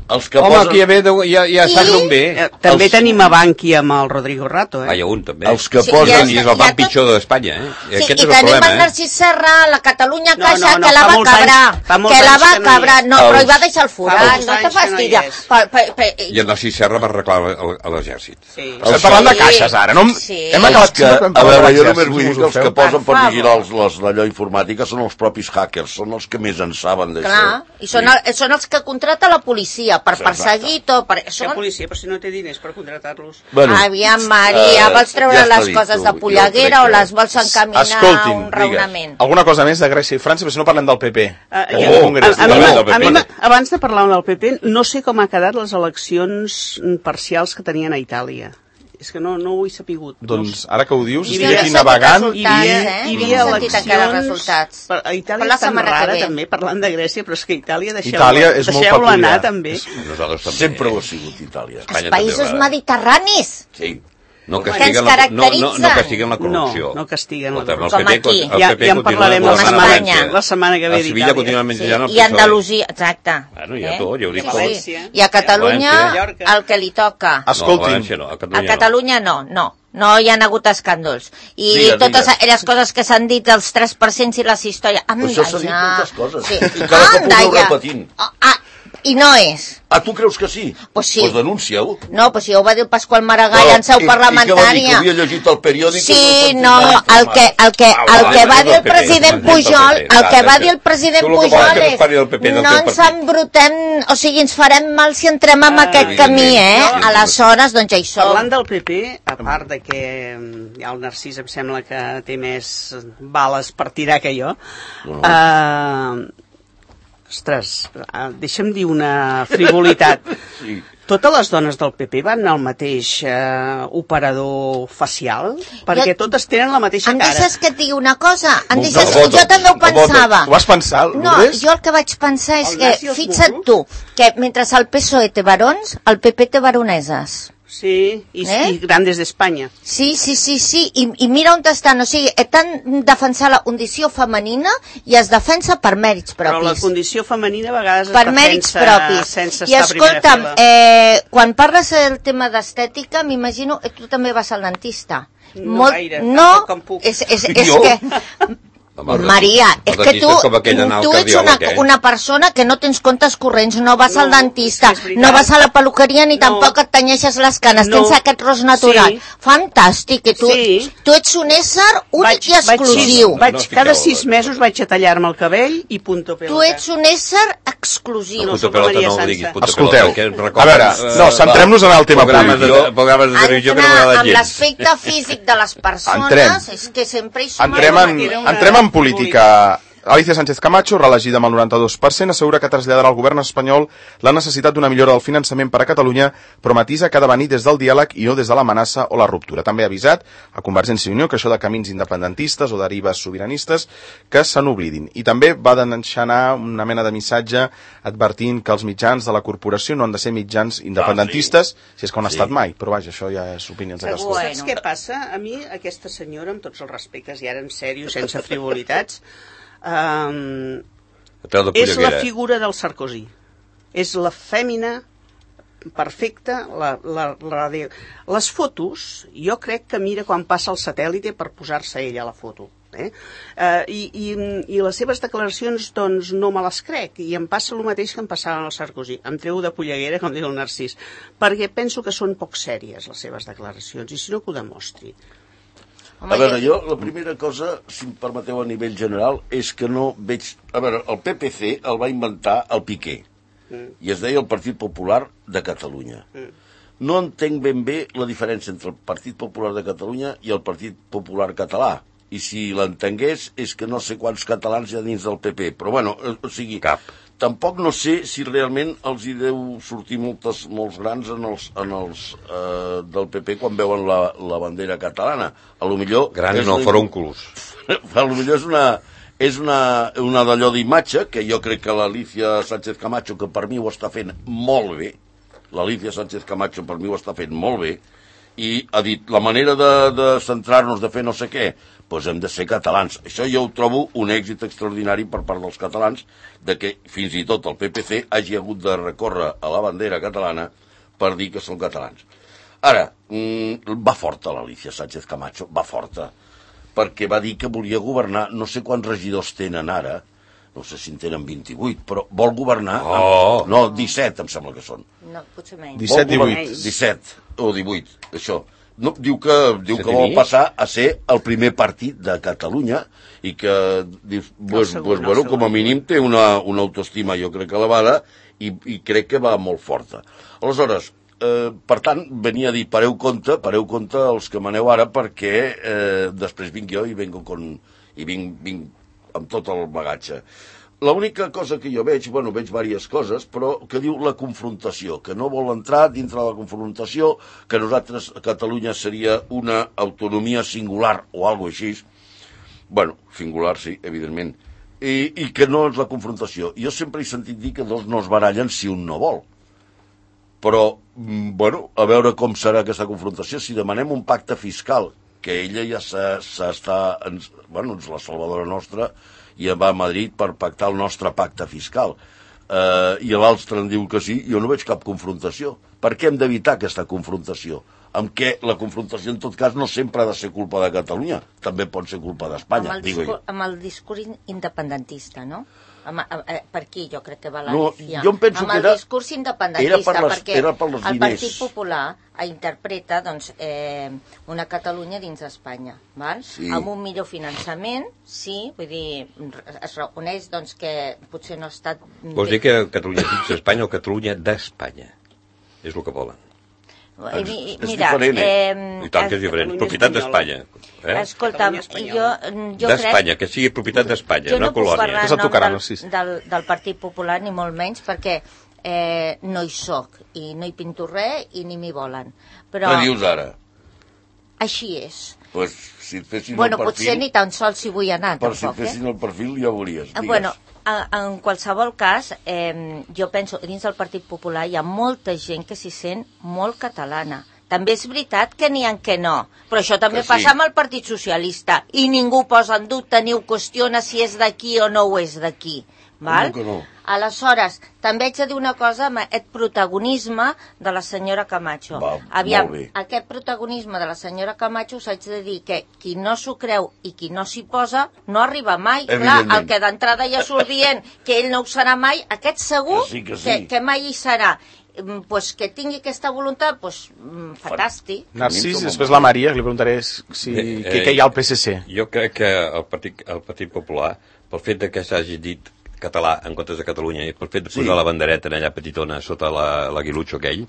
Els que Home, posen... aquí ja, ve, de- ja, ja I- sap d'on ve. Eh, també Els- tenim a Banqui amb el Rodrigo Rato, eh? Ah, hi ha un, també. Els que Sí, posen... ja I és el ja banc tot- pitjor d'Espanya, eh? I Sí, aquest i és el tenim problema, el eh? Narcís Serra, la Catalunya No, Caixa, no, no, que la fa va molts cabrar, anys- fa molts que la anys va que no hi cabrar, és. no, però hi va Els- deixar el Fa forat, molts no te anys que no hi fastidia. és. Per, per, per, I el Narcís Serra va reclamar a l'exèrcit. Sí. Estem parlant de Sí. caixes, ara. No? Sí. Hem Els acabat... que, a veure, jo només vull dir que els que posen per Per vigilar favor. els, les, d'allò informàtica són els propis hackers, són els que més en saben d'això. Clar, i són, el, són els que contrata la policia per Exacte. perseguir tot. Per, Que són, policia, però si no té diners per contratar-los. Bueno, Aviam, Maria, eh, vols treure ja està les dit, coses tu. de Jo polleguera crec o que- les vols encaminar a Escoltin, un raonament? digues, alguna cosa més de Grècia i França, però si no parlem del P P. Uh, Oh, jo, Congrés. a, a, mi, Parlem m'ha- del P P. a mi, m'ha- abans de parlar del P P, no sé com ha quedat les eleccions parcials que tenien a Itàlia. És que no, no ho he sapigut. Doncs ara que ho dius, Hi estic havia- aquí navegant Hi havia, eh? hi havia No he sentit encara eleccions... resultats. Per, a Itàlia Per la és tan setmana que rara, ve. també, parlant de Grècia, però és que Itàlia, deixeu-la Itàlia és molt deixeu anar, peculiar. també. Nosaltres també. sempre ho ha sigut Itàlia. Els Espanya països també, va. mediterranis. Sí. No Que ens castiguen, la, no, no, no caracteritza. castiguen la corrupció. No, no castiguen la Escolta'm, el corrupció. P P Com aquí. el Ja- P P ja en continua parlarem la governant a setmana- València. la setmana que ve A Sevilla d'Itàlia. continuen Sí, menjant el i P S O E. Andalusia, exacte. Bueno, hi ha tot, ja ho dic tot. València. I a Catalunya, València. el que li toca. No, a Escoltin, València no, a A Catalunya, Catalunya no, no. No hi ha hagut escàndols. I Digues, totes digues. les coses que s'han dit, els tres per cent i les històries... Anda, Això s'ha dit ja. moltes coses. Sí. I cada cop ho Anda, aneu ja. repetint. Ah, ah, I no és. Ah, tu creus que sí? Pues sí. Pues denuncia-ho. No, però si ja ho va dir el Pasqual Maragall Però, en seu i- I què va dir, parlamentària. que havia llegit el periòdic? Sí, i no, el que, el que, el que va dir el president Pujol, el que va dir el president Pujol és no ens embrutem, o sigui, ens farem mal si entrem en aquest camí, eh? Aleshores, doncs ja hi som. Parlant del P P, a part de que mm, ja el Narcís em sembla que té més bales per tirar que jo, No. eh, ostres, eh, deixa'm dir una frivolitat. Sí. Totes les dones del P P van al mateix eh, operador facial? Perquè Jo- totes tenen la mateixa Em cara. deixes que et digui una cosa? Em Un deixes... botox, Jo també ho un botox. pensava. Ho vas pensar, No, Lourdes? jo el que vaig pensar és El que, nas i els fixa't morros? tu, que mentre el P S O E té barons, el P P té baroneses. Sí, i, Eh? i grandes d'Espanya. Sí, sí, sí, sí, I, i mira on estan, o sigui, estan defensant la condició femenina i es defensa per mèrits Però la propis. condició femenina a vegades es Per mèrits defensa propis. sense I estar a primera escolta'm, fila. eh, quan parles del tema d'estètica, m'imagino que tu també vas al dentista. No gaire, no, tampoc com puc. és, és, és Jo? que... Home, el Maria, dentista- és el que dentista tu, és com aquell anar al tu ets una, cardiòleg, eh? una persona que no tens comptes corrents, no vas No, al dentista, és que és veritat. no vas a la peluqueria ni No. tampoc et tenyeixes les canes, No. tens aquest ros natural. Sí. Fantàstic, i tu, Sí. tu ets un ésser únic i exclusiu. Vaig, vaig, No, no cada fiqueu- sis mesos vaig a tallar-me el cabell i punto pelota. Tu ets un ésser exclusiu. No, Punto sóc la pelota Maria no ho Sansa. diguis, punto Escolteu, pelota, que em a recorda, veure, eh, no, centrem-nos en el tema programes de, polític. programes de televisió que no Entrenar m'agraden amb gens. l'aspecte físic de les persones, Entrem. és que sempre hi som... Entrem en, Era una- entrem en política. Alicia Sánchez Camacho, reelegida amb el noranta-dos per cent, assegura que traslladarà al govern espanyol la necessitat d'una millora del finançament per a Catalunya, però matisa que ha de venir des del diàleg i no des de l'amenaça o la ruptura. També ha avisat a Convergència i Unió que això de camins independentistes o derives sobiranistes que se n'oblidin. I també va d'enxanar una mena de missatge advertint que els mitjans de la corporació no han de ser mitjans independentistes, si és que ho han Sí. estat mai, però vaja, això ja és opinions de cadascú. Bueno. Saps què passa? A mi, aquesta senyora, amb tots els respectes, i ara en sèrio, sense frivolitats, um, Treu de és la polleguera. figura del Sarkozy. És la fèmina perfecta. La, la, la de... Les fotos, jo crec que mira quan passa el satèl·lite per posar-se ella a la foto. Eh? Uh, i, i, I les seves declaracions, doncs, no me les crec. I em passa el mateix que em passava al Sarkozy. Em treu de polleguera, com diu el Narcís. Perquè penso que són poc sèries, les seves declaracions, i si no, que ho demostri. Home, A veure, jo la primera cosa, si em permeteu a nivell general, és que no veig... A veure, el P P C el va inventar el Piqué, mm. i es deia el Partit Popular de Catalunya. Mm. No entenc ben bé la diferència entre el Partit Popular de Catalunya i el Partit Popular català. I si l'entengués és que no sé quants catalans hi ha dins del P P. Però bueno, o sigui... Cap. Tampoc no sé si realment els hi deu sortir moltes, molts grans en els, en els eh, del P P quan veuen la, la bandera catalana. A lo millor... Grans és no, una- forúnculos. a lo millor és una, és una, una d'allò d'imatge, que jo crec que l'Alicia Sánchez Camacho, que per mi ho està fent molt bé, l'Alicia Sánchez Camacho per mi ho està fent molt bé, i ha dit, la manera de, de centrar-nos, de fer no sé què, doncs hem de ser catalans. Això jo ho trobo un èxit extraordinari per part dels catalans, de que fins i tot el P P C hagi hagut de recórrer a la bandera catalana per dir que són catalans. Ara, mmm, va forta l'Alicia Sánchez Camacho, va forta, perquè va dir que volia governar, no sé quants regidors tenen ara, no sé si en tenen vint-i-vuit, però vol governar... Oh. Amb, no, disset, em sembla que són. No, potser menys. disset, divuit. disset o divuit, això. No, diu que, diu que vol passar a ser el primer partit de Catalunya i que, dius, pues, segon, pues, bueno, com a mínim té una, una autoestima, jo crec, elevada i, i crec que va molt forta. Aleshores, eh, per tant, venia a dir, pareu compte, pareu compte els que maneu ara, perquè eh, després vinc jo i vengo con, i vinc, vinc amb tot el bagatge. L'única cosa que jo veig, bueno, veig diverses coses, però que diu la confrontació, que no vol entrar dintre de la confrontació, que nosaltres, a Catalunya, seria una autonomia singular o alguna cosa així. Bueno, singular sí, evidentment. I, i que no és la confrontació. Jo sempre he sentit dir que dos no es barallen si un no vol. Però, bueno, a veure com serà aquesta confrontació. Si demanem un pacte fiscal, que ella ja s'està... Bueno, és la salvadora nostra, i va a Madrid per pactar el nostre pacte fiscal. Eh, I l'altre en diu que sí, jo no veig cap confrontació. Per què hem d'evitar aquesta confrontació? Amb què la confrontació, en tot cas, no sempre ha de ser culpa de Catalunya, també pot ser culpa d'Espanya, amb, digo jo. amb el discurs independentista, no? Amb, amb, per aquí jo crec que va la No, Alicia. jo em penso amb que el era- discurs independentista, era per les- perquè era per els el diners. Partit Popular interpreta doncs, eh, una Catalunya dins d'Espanya, val? Sí. Amb un millor finançament, sí, vull dir, es reconeix doncs, que potser no ha estat... Vols dir que Catalunya dins d'Espanya o Catalunya d'Espanya? És el que volen. Eh, mi- és Mira, diferent, eh? eh, I tant que és diferent. Catalunya Propietat espanyola. d'Espanya. Eh? escolta'm, Catalunya jo, espanyola. jo D'Espanya, crec... que sigui propietat d'Espanya, Jo una no puc colònia. parlar És el en nom tocaran, del, Narcís. del, del Partit Popular, ni molt menys, perquè eh, no hi soc i no hi pinto res i ni m'hi volen. Però Què dius ara? així és. Pues, si et fessin Bueno, el perfil, potser ni tan sols hi vull anar, per si et tampoc, eh? fessin el perfil ja ho veuries. Eh, Digues. Bueno, a- en qualsevol cas, eh, jo penso que dins del Partit Popular hi ha molta gent que s'hi sent molt catalana. També és veritat que n'hi ha que no, però això també Que sí. passa amb el Partit Socialista i ningú posa en dubte ni ho qüestiona si és d'aquí o no ho és d'aquí. Val? Com que no? Aleshores, també haig de dir una cosa amb aquest protagonisme de la senyora Camacho. Va, Aviam, molt bé. aquest protagonisme de la senyora Camacho us haig de dir que qui no s'ho creu i qui no s'hi posa no arriba mai. Clar, Evidentment. el que d'entrada ja surt dient que ell no ho serà mai, aquest segur Que sí, que sí. que, que mai hi serà. Mm, Pues que tingui aquesta voluntat, pues, mm, fantàstic. Narcís, Com i a després molt. la Maria, que li preguntaré si, Eh, què, eh, què hi ha al P S C. Jo crec que el Partit, el Partit Popular, pel fet de que s'hagi dit català en comptes de Catalunya i pel fet de posar Sí. la bandereta en allà petitona sota la, l'aguilutxo aquell,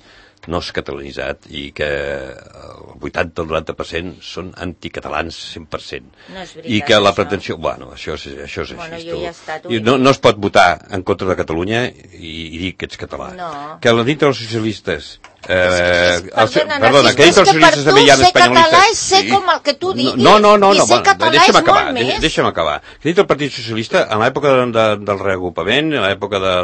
no és catalanitzat i que el vuitanta o el noranta per cent són anticatalans cent per cent. No és veritat, I que la això. pretensió... Bueno, això és, això és Bueno, així. jo tu. hi he estat, ho I he no, dit. no es pot votar en contra de Catalunya i, i dir que ets català. No. Que la dintre dels socialistes... Eh, És- els- perdona, perdona, Narcís, que dintre és dels que per socialistes tu també hi ha ser català espanyolistes. és ser com el que tu diguis. No, no, no, I no, ser bueno, català deixa'm és acabar, molt de- més. deixa'm acabar. Dintre del Partit Socialista, en l'època de, de, del reagrupament, en l'època de,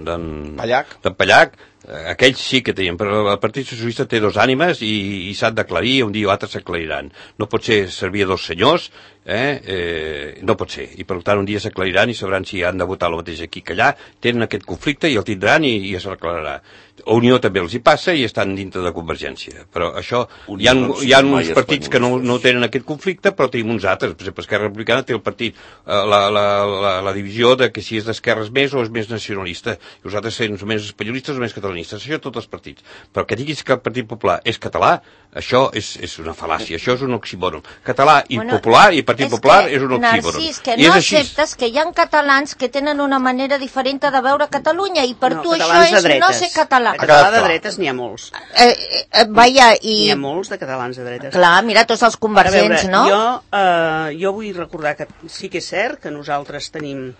de, Pallac. de Pallac, eh, aquells sí que tenien, però el Partit Socialista té dos ànimes i, i s'han d'aclarir, un dia o altre s'aclariran. No pot ser servir a dos senyors, eh? Eh, no pot ser. I per tant un dia s'aclariran i sabran si han de votar el mateix aquí que allà, tenen aquest conflicte i el tindran i, i s'aclararà. A Unió també els hi passa i estan dintre de Convergència. Però això, Unió hi ha, no hi ha siguin mai uns partits que no, espanyolistes. no tenen aquest conflicte, però tenim uns altres. Per exemple, Esquerra Republicana té el partit, eh, la, la, la, la divisió de que si és d'esquerres més o és més nacionalista, i els altres són més espanyolistes o més catalanistes. Això tots els partits. Però que diguis que el Partit Popular és català, això és, és una fal·làcia, això és un oxímoron. Català i Bueno, popular i Partit és Popular que, és un oxímoron. Narcís, que I no és així. acceptes que hi ha catalans que tenen una manera diferent de veure Catalunya i per No, tu això catalans de és no dretes. ser català. De català de clar. dretes n'hi ha molts. Eh, eh, vaja, i... N'hi ha molts de catalans de dretes. Clar, mira, tots els A convergents, veure, no? jo, eh, jo vull recordar que sí que és cert que nosaltres tenim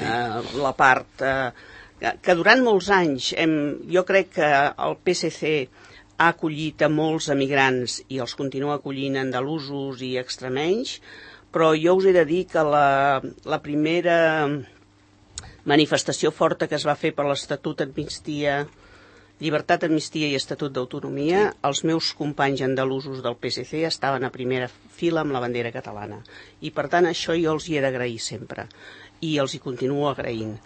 eh, la part... Eh, que, que durant molts anys hem, jo crec que el P S C ha acollit a molts emigrants i els continua acollint andalusos i extremenys, però jo us he de dir que la, la primera manifestació forta que es va fer per l'Estatut Amnistia Llibertat, Amnistia i Estatut d'Autonomia, els meus companys andalusos del P S C estaven a primera fila amb la bandera catalana. I, per tant, això jo els hi he d'agrair sempre. I els hi continuo agraint.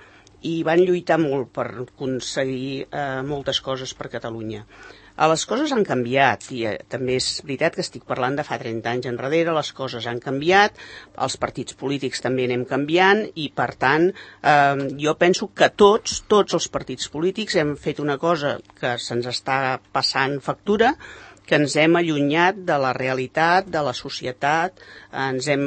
I van lluitar molt per aconseguir eh, moltes coses per Catalunya. Eh, les coses han canviat, i eh, també és veritat que estic parlant de fa trenta anys enrere, les coses han canviat, els partits polítics també anem canviant, i per tant, eh, jo penso que tots, tots els partits polítics hem fet una cosa que se'ns està passant factura, que ens hem allunyat de la realitat, de la societat, ens hem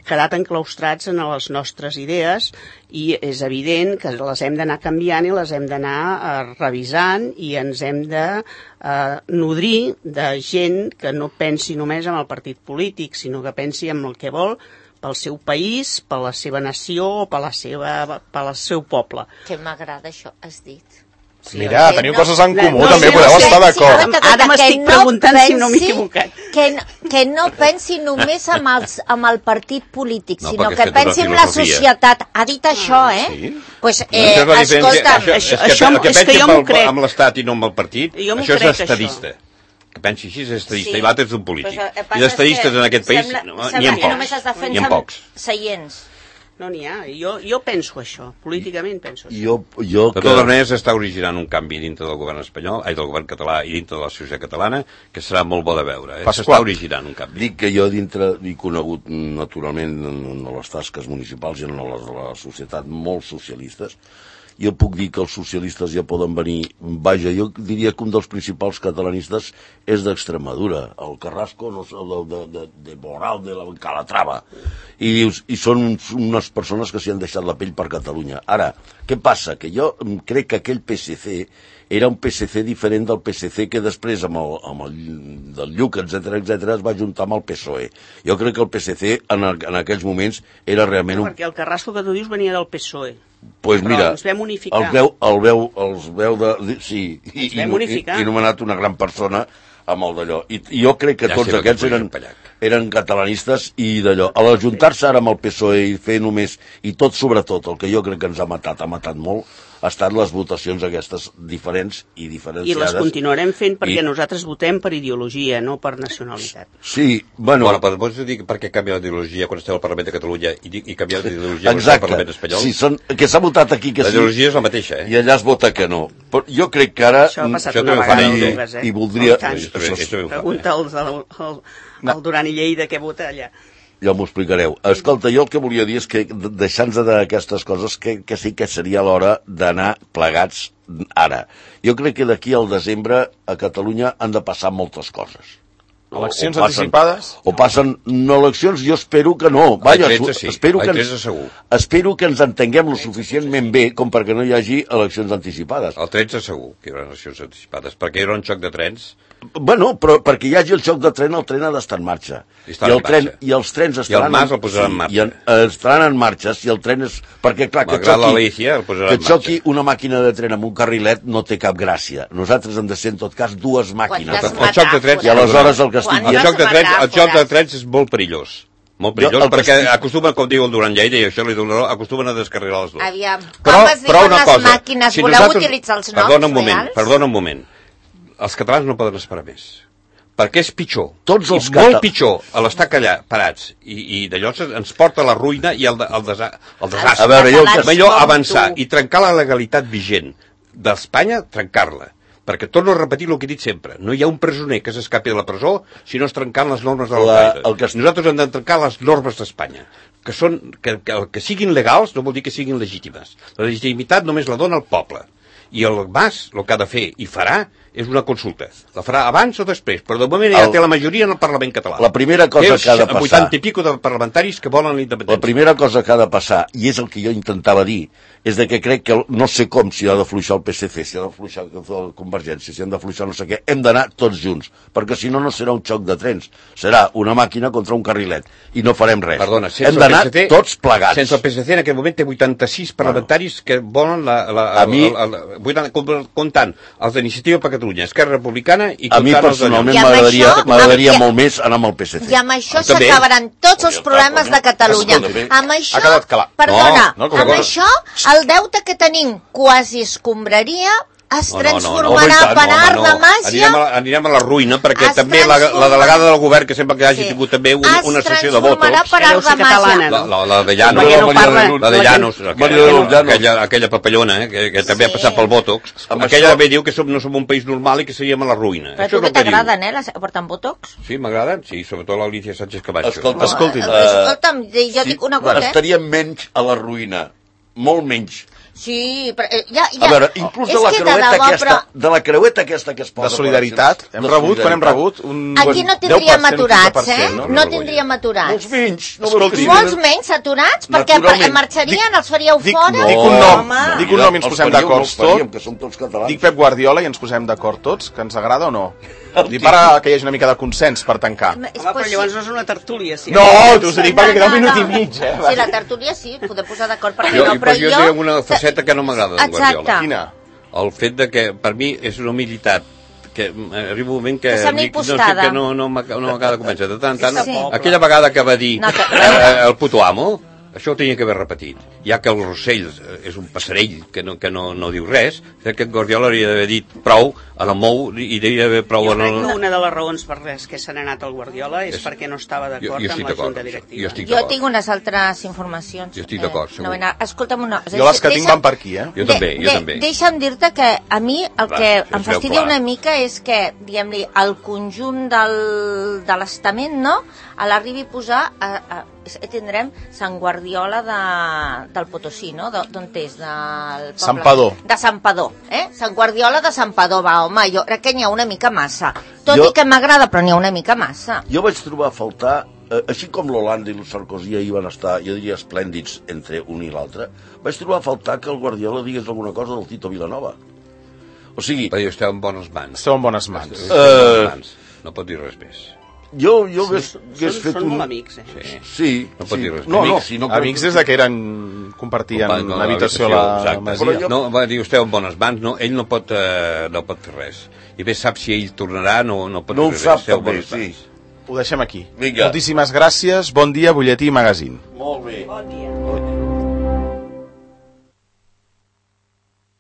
quedat enclaustrats en les nostres idees i és evident que les hem d'anar canviant i les hem d'anar eh, revisant i ens hem de eh, nodrir de gent que no pensi només en el partit polític, sinó que pensi en el que vol pel seu país, per la seva nació o per la seva, pel seu poble. Que m'agrada això, has dit. Sí, Mira, teniu no, coses en comú, no, també no, podeu no, estar d'acord. Sí, ara m'estic no preguntant pensi, si no m'he equivocat. Que, que no pensi només amb, els, amb el partit polític, no, sinó que pensi en la societat. Ha dit això, eh? Sí. Pues, eh no, escolta... Això, és que, això, que, és que jo m'ho crec. Amb l'Estat i no amb el partit, això és estadista. Això. Que pensi així és estadista, sí. I l'altre és un polític. Pues, I d'estadistes en aquest país n'hi ha pocs. Seients. No n'hi ha. Jo, jo penso això. Políticament penso això. Jo, jo de totes maneres està originant un canvi dintre del govern espanyol, ai, del govern català i dintre de la societat catalana, que serà molt bo de veure. Eh? S'està originant un canvi. Dic que jo dintre he conegut naturalment en les tasques municipals i en les de la societat molt socialistes. Jo puc dir que els socialistes ja poden venir... Vaja, jo diria que un dels principals catalanistes és d'Extremadura. El Carrasco, no sé, de, de, de, de Moral, de la Calatrava. I dius, i són unes persones que s'hi han deixat la pell per Catalunya. Ara, què passa? Que jo crec que aquell P S C era un P S C diferent del P S C que després, amb el, amb el del Lluc, etcètera, etcètera, es va juntar amb el P S O E. Jo crec que el P S C en, en aquells moments era realment un... Perquè el Carrasco que tu dius venia del P S O E. Pues però mira, ens vam unificar. El veu, el veu, els veu de... Sí, i, ens vam unificar. I, i nomenat una gran persona amb el d'allò. I, I jo crec que ja tots aquests eren, eren catalanistes i d'allò. A l'ajuntar-se ara amb el P S O E i fer només... I tot, sobretot, el que jo crec que ens ha matat, ha matat molt, ha estat les votacions aquestes diferents i diferenciades. I les continuarem fent perquè I... nosaltres votem per ideologia, no per nacionalitat. Sí, bueno... Bueno, però pots dir per què canvia d'ideologia quan esteu al Parlament de Catalunya i, i canvia d'ideologia quan esteu al Parlament espanyol? Sí, són, que s'ha votat aquí que sí. L'ideologia és la mateixa, eh? I allà es vota que no. Però jo crec que ara... Això ha passat una vegada al Dugas, eh? I voldria... Pregunta al Duran i Lleida què vota allà. Ja m'ho explicareu. Escolta, jo el que volia dir és que, deixant-nos d'aquestes coses, que, que sí que seria l'hora d'anar plegats ara. Jo crec que d'aquí al desembre a Catalunya han de passar moltes coses. Eleccions o, o passen, anticipades? O passen no eleccions, jo espero que no. Vaja, tretze, sí. espero, que ens, segur. espero que ens entenguem lo suficientment bé com perquè no hi hagi eleccions anticipades. El tretze segur que hi haurà eleccions anticipades, perquè hi haurà un xoc de trens. Bueno, però perquè hi hagi el xoc de tren, el tren ha d'estar en marxa. I, I, el tren, I els trens estaran... I el Mas el posarà en marxa. I en, estaran en marxa, si el tren és... Perquè, clar, que xoqui, Alicia, que xoqui una màquina de tren amb un carrilet no té cap gràcia. Nosaltres hem de ser, en tot cas, dues màquines. El xoc de trens... I aleshores el que estic... El xoc de trens, el xoc de trens és molt perillós. Molt perillós, jo, perquè estic... acostumen, com diu el Duran Lleida, i això li dono, acostumen a descarrilar les dues. Aviam, però, com es diuen les cosa, màquines? Si Voleu nosaltres... utilitzar els noms perdona un moment, reals? Perdona un moment. Els catalans no poden esperar més. Perquè és pitjor, Tots els i molt cata... pitjor a l'estar allà parats i, i d'allò ens porta a la ruïna i al, al, desa, al desastre. A veure, jo que... Millor avançar i trencar la legalitat vigent d'Espanya, trencar-la. Perquè torno a repetir el que he dit sempre. No hi ha un presoner que s'escapi de la presó si no es trencant les normes de la la, que... Nosaltres hem de trencar les normes d'Espanya. Que, són, que, que, que siguin legals no vol dir que siguin legítimes. La legitimitat només la dona el poble. I el Mas, el que ha de fer i farà, és una consulta. La farà abans o després, però de moment ja el... té la majoria en el Parlament català. La primera cosa que ha de passar... vuitanta i pico de parlamentaris que volen la independència. La primera cosa que ha de passar, i és el que jo intentava dir, és de que crec que no sé com si ha de fluixar el P S C, si ha de fluixar la Convergència, si han de fluixar no sé què, hem d'anar tots junts, perquè si no, no serà un xoc de trens, serà una màquina contra un carrilet, i no farem res. Perdona, hem d'anar tots plegats. Sense el P S C en aquest moment té vuitanta-sis parlamentaris bueno. que volen la... la, la, a mi... la, la, la, la, comptant els d'Iniciativa per Catalunya, Esquerra Republicana i a mi personalment m'agradaria m'agradaria molt més anar amb el P S C. I amb això s'acabaran tots els problemes de Catalunya. Amb això, perdona, no, no, amb això el deute que tenim quasi escombraria es No, no, no, transformarà no, no, per art no, de no. màgia... Anirem a, la- anirem a la ruïna, perquè Es també la, la transforma- delegada del govern, que sembla que hagi Sí. tingut també una, una sessió de Es transformarà votos, per Deu art ser de màgia. catalana. la, la, la de Llanos, Perquè no Maria parla... de Luz. la de la Llanos, gent- Maria de Luz, Llanos. aquella, aquella papallona, eh, que, que també ha Sí. passat pel Botox, Amb aquella això- també diu que som, no som un país normal i que seríem a la ruïna. Però Això tu és que el que diu. t'agraden, eh, les porten botox? Sí, m'agraden, sí, sobretot l'Alicia Sánchez Camacho. Escolta, Escolti'm. Eh, Escolta'm, jo dic una cosa, eh? estaríem menys a la ruïna, molt menys. Sí, però eh, ja, ja... A veure, inclús de És la que de creueta debò, aquesta, però- de la creueta aquesta que es posa... De solidaritat. per Hem exemple, rebut, de quan hem solidaritat. rebut? Un Aquí no deu tindríem per cent, aturats, quinze per cent, eh? no? No tindríem aturats. Molts menys. No Escolti, veus que sí, Molts venen? menys aturats, perquè Naturalment. marxarien, els faríeu Dic, fora? dic un nom, Home. dic un nom i ens Els posem faríem, d'acord els faríem, tots. que som tots catalans. Dic Pep Guardiola i ens posem d'acord tots, que ens agrada o no? Dic para que hi hagi una mica de consens per tancar. És Home, però possible. llavors no és una tertúlia, sí. No, t'ho dic perquè queda un minut i mig, eh? Sí, la tertúlia sí, poder posar d'acord, perquè Jo, no, però però jo jo... tinc una faceta que no m'agrada d'en Guardiola. Exacte. Quina? El fet de que, per mi, és una humilitat que eh, arriba un moment que, Que sembla dic, no sé, impostada. que no, no m'ac- no m'acaba de convèncer. De tant en tant, Sí. aquella vegada que va dir No, que- eh, el puto amo, això ho tenia que haver repetit. Ja que el Rossell és un passarell que no, que no, no diu res, crec que en Guardiola hauria d'haver dit prou a la Mou i devia haver prou Jo a crec la... que una de les raons per les que se n'ha anat al Guardiola és, És- perquè no estava Jo- d'acord jo amb estic la d'acord junta amb això. directiva. Jo estic Jo d'acord. tinc unes altres informacions. Jo estic d'acord, segur. no vull anar- Escolta'm una... Jo les que tinc van per aquí, eh? Jo també, jo també. Deixa'm dir-te que a mi el Va, que això em es veu fastidia clar. una mica és que, diguem-li, el conjunt del, de l'estament, no?, a l'arribi a posar... A, a, a, tindrem Sant Guardiola de, del Potosí, no?, De- d'on és? Del poble... Santpedor. De Santpedor, eh? Sant Guardiola de Santpedor, va, home, jo crec que n'hi ha una mica massa. Tot Jo- i que m'agrada, però n'hi ha una mica massa. Jo vaig trobar a faltar, eh, així com l'Holanda i el Sarkozy ahir van estar, jo diria, esplèndids entre un i l'altre, vaig trobar a faltar que el Guardiola digués alguna cosa del Tito Vilanova. O sigui, Però jo esteu en bones mans. Esteu en bones mans. Esteu en bones Eh, mans. No pot dir res més. jo, jo hagués, Són, hagués fet són un... molt amics, eh? Sí. Sí, No pot sí. dir res. No, no, Amics, si no amics des de que eren... compartien No, no, habitació a la exacte. masia. Però jo- No, va dir, esteu en bones mans, no, ell no pot, eh, no pot fer res. I bé sap si ell tornarà, no, no pot No ho fer sap, res. Esteu en també, bones sí. mans. Ho deixem aquí. Vinga. Moltíssimes gràcies, bon dia, butlletí i magazín. Molt bé. Bon dia.